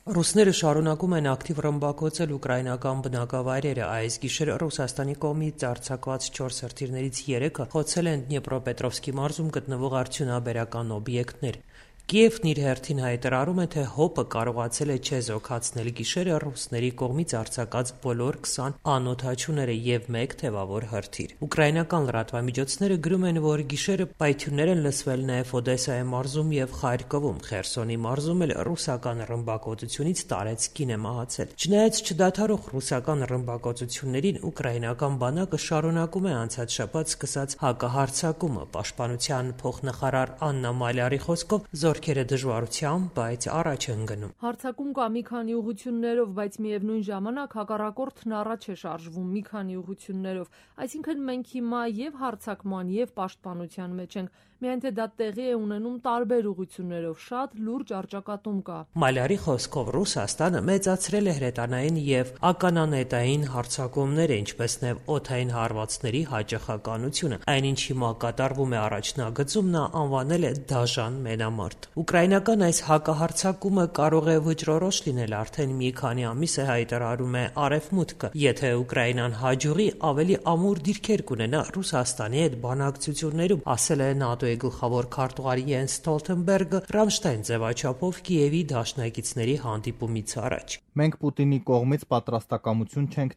Ռուսները շարունակում են ակտիվ ռմբակոծել ուկրաինական բնակավայրերը։ Այս գիշեր Ռուսաստանի կողմից արձակված 4 հրթիռներից 3-ը խոցել են Դնեպրոպետրովսկի մարզում գտնվող արդյունաբերական օբյեկտներ։ Կիևն իր հերթին հայտարարում է, թե ՀՕՊ-ը կարողացել է չեզոքացնել գիշերը ռուսների կողմից արձակած բոլոր 20 անօդաչուները և 1 թևավոր հրթիռ։ Ուկրաինական լրատվամիջոցները գրում են, որ գիշերը պայթյուններ են լսվել նաև Օդեսայի մարզում և Խարկովում։ Խերսոնի մարզում էլ ռուսական ռմբակոծությունից տարեց կին է մահացել։ Չնայած չդադարող ռուսական ռմբակոծություններին, ուկրաինական բանակը շարունակում է անցած շաբաթ սկսած հակահարձակումը։ Պաշտպանության փոխնախարար Աննա Մալյարի խոսքով զորքերը դժվարությամբ, բայց առաջ են գնում։ Հարձակում կա մի քանի ուղղություններով, բայց միևնույն ժամանակ հակառակորդն առաջ է շարժվում մի քանի ուղղություններով, այսինքն մենք հիմա և հարձակման և պաշտպանության մեջ ենք, միայն թե դա տեղի է ունենում տարբեր ուղղություններով, շատ լուրջ առճակատում կա։ Մալյարի խոսքով Ռուսաստանը մեծացրել է հրետանային և ականանետային հարձակումները, ինչպես նաև օդային հարվածների հաճախականությունը։ Այնինչ հիմա կատարվում է առաջնագծում, նա անվանել է դաժան մենամարտ։ Ուկրաինական այս հակահարձակումը կարող է վճռորոշ լինել, արդեն մի քանի ամիս է հայտարարում է Արևմուտքը։ Եթե Ուկրաինան հաջողի, ավելի ամուր դիրքեր կունենա Ռուսաստանի հետ բանակցություններում, ասել է ՆԱՏՕ-ի գլխավոր քարտուղար Յենս Ստոլտենբերգը Ռամշտայն ձևաչափով Կիևի դաշնակիցների հանդիպումից առաջ։ Մենք Պուտինի կողմից պատրաստակամություն չենք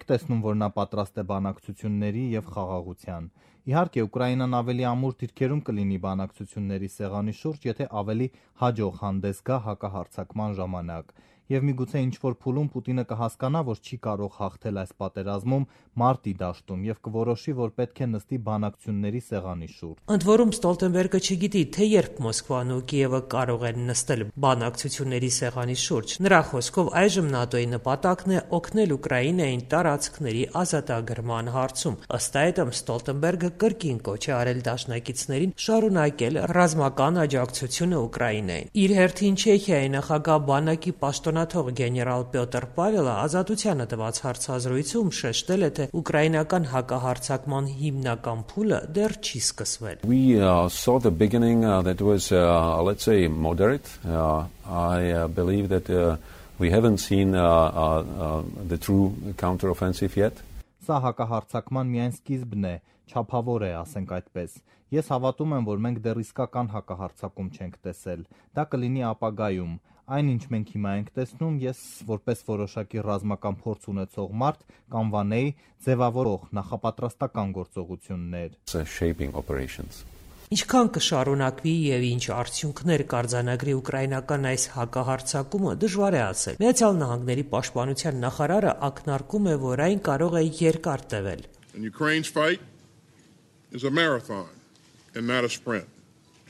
տեսնում, որ նա պատրաստ է բանակցությունների և խաղաղության։ Իհարկե, Ուկրաինան ավելի ամուր դիրքերում կլինի բանակցությունների սեղանի շուրջ, եթե ավելի հաջող հանդես գա հակահարձակման ժամանակ։ Եվ միգուցե ինչ-որ փուլում Պուտինը կհասկանա, որ չի կարող հաղթել այս պատերազմում մարտի դաշտում և կորոշի, որ պետք է նստի բանակցությունների սեղանի շուրջ։ Ընդ որում Ստոլտենբերգը չգիտի, թե երբ Մոսկվան ու Կիևը կարող են նստել բանակցությունների սեղանի շուրջ։ Նրա խոսքով այժմ ՆԱՏՕ-ի նպատակն է օգնել Ուկրաինային տարածքների ազատագրման հարցում։ Ըստ այդմ Ստոլտենբերգը կրկին կոչ է արել դաշնակիցներին շարունակել ռազմական աջակցությունը Ուկրաինային։ Իր հերթին Չեխիայի նախագահ բանակի պաշտոնաթող գեներալ Պյոտր Պավելը Ազատությանը տված հարցազրույցում շեշտել է, թե ուկրաինական հակահարձակման հիմնական փուլը դեռ չի սկսվել։ We saw the beginning that was let's say moderate. I believe that we haven't seen the true counteroffensive yet. Սա հակահարձակման միայն սկիզբն է, չափավոր է, ասենք այդպես։ Ես հավատում եմ, որ մենք դեռ իսկական հակահարձակում չենք տեսել։ Դա կլինի ապագայում։ Այնինչ մենք հիմա ենք տեսնում, ես որպես որոշակի ռազմական փորձ ունեցող մարդ կանվանեի ձևավորող նախապատրաստական գործողություններ։ Shaping operations. Ինչքան կշարունակվի և ինչ արդյունքներ կարձանագրի ուկրաինական այս հակահարձակումը, դժվար է ասել։ Միացյալ Նահանգների պաշտպանության նախարարը ակնարկում է, որ այն կարող է երկար տևել։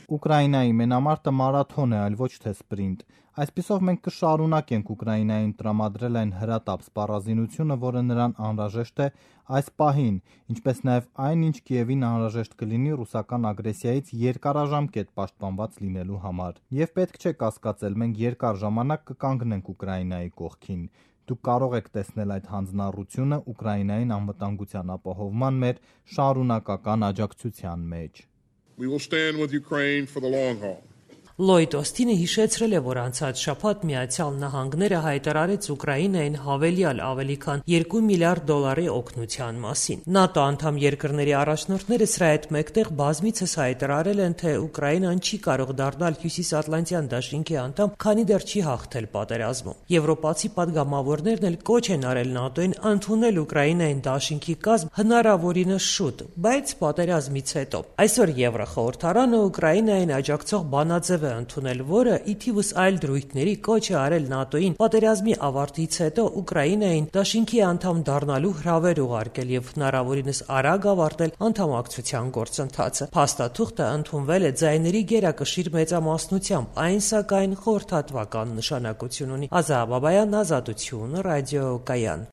Ուկրաինայի մենամարտը մարաթոն է, այլ ոչ թե սպրինտ։ Այսպիսով մենք կշարունակենք Ուկրաինային տրամադրել այն հրատապ սպառազինությունը, որը նրան անհրաժեշտ է այս պահին, ինչպես նաև այն, ինչ Կիևին անհրաժեշտ կլինի ռուսական ագրեսիայից երկարաժամկետ պաշտպանված լինելու համար։ Եվ պետք չէ կասկածել, մենք երկար ժամանակ կկանգնենք Ուկրաինայի կողքին։ Դուք կարող եք տեսնել այդ հանձնառությունը Ուկրաինային անվտանգության ապահովման մեր շարունակական աջակցության մեջ։ We will stand with Ukraine for the long haul. Լոյդ Օսթինը հիշեցրել է, որ անցած շաբաթ Միացյալ Նահանգները հայտարարեց Ուկրաինային հավելյալ ավելի քան $2 միլիարդ օգնության մասին։ ՆԱՏՕ անդամ երկրների առաջնորդները սրա հետ մեկտեղ բազմիցս հայտարարել են, թե Ուկրաինան չի կարող դառնալ Հյուսիսատլանտյան դաշինքի անդամ, քանի դեռ չի հաղթել պատերազմում։ Եվրոպացի պատգամավորներն էլ կոչ են արել ՆԱՏՕ-ին ընդունել Ուկրաինային դաշինքի կազմ հնարավորինս շուտ, բայց պատերազմից հետո։ Այսօր Եվրոխորհրդարանը Ուկրաինային աջակցող բանաձև ընդունել, որը ի թիվս այլ դրույթների կոչ է արել ՆԱՏՕ-ին պատերազմի ավարտից հետո Ուկրաինային դաշինքի անդամ դառնալու հրավեր ուղարկել և հնարավորինս արագ ավարտել անդամակցության գործընթացը։ Փաստաթուղթը ընդունվել է ձայների գերակշիռ մեծամասնությամբ, այն սակայն խորհրդատվական նշանակություն ունի։ Ազա Բաբայան, Ազատություն, ռադիոկայան։